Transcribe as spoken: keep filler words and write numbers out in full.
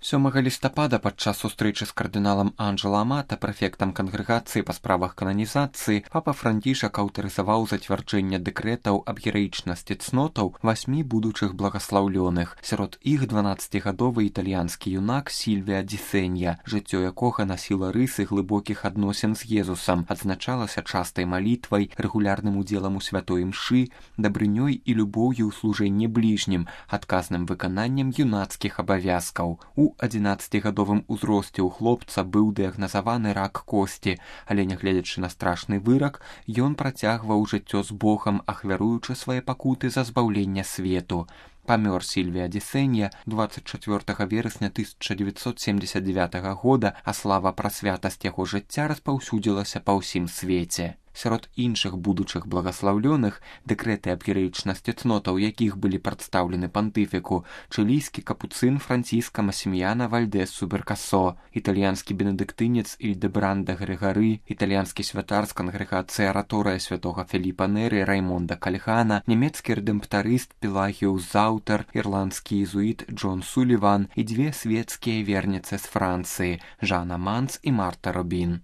сёмага лістапада падчас сустрэчы з кардыналам Анджела Амата, прэфектам кангрэгацыі па справах кананізацыі, папа Францішак аўтарызаваў зацвярджэнне дэкрэтаў аб гераічнасці цнотаў васьмі будучых благаслаўлёных. Сярод іх дванаццацігадовы італьянскі юнак Сільвія Ді Сенья, жыццё якога насіла рысы глыбокіх адносін з Езусам, адзначалася частай малітвай, рэгулярным удзелам у святой імшы, дабрынёй і любоўю ў служэнні бліжнім, адказным выкананнем юнацкіх абавязкаў. У адзінаццацігадовым узросце ў хлопца быў дыягназаваны рак косці, але нягледзячы на страшны вырак, ён працягваў жыццё з Богам, ахвяруючы свае пакуты за збаўлення свету. Памёр Сільвія Ді Сенья дваццаць чацвёртага верасня тысяча дзевяцьсот семдзесят дзевятага года, а слава пра святасць яго жыцця распаўсюдзілася па ўсім свеце. Сярод іншых будучых благаслаўлёных дэкрэты аб гераічнасці цнотаў, якіх былі прадстаўлены пантыфіку, чылійскі капуцын Франціска Масіміяна Вальдэс Суберкасо, італьянскі бенедыктынец Ільдэбранда Грыгары, італьянскі святар з кангрэгацыі Араторыя святога Філіпа Неры Раймонда Кальхана, нямецкі рэдэмптарыст Пелагіус Заутер, ірландскі езуіт Джон Суліван і дзве свецкія верніцы з Францыі Жанна Манц і Марта Робін.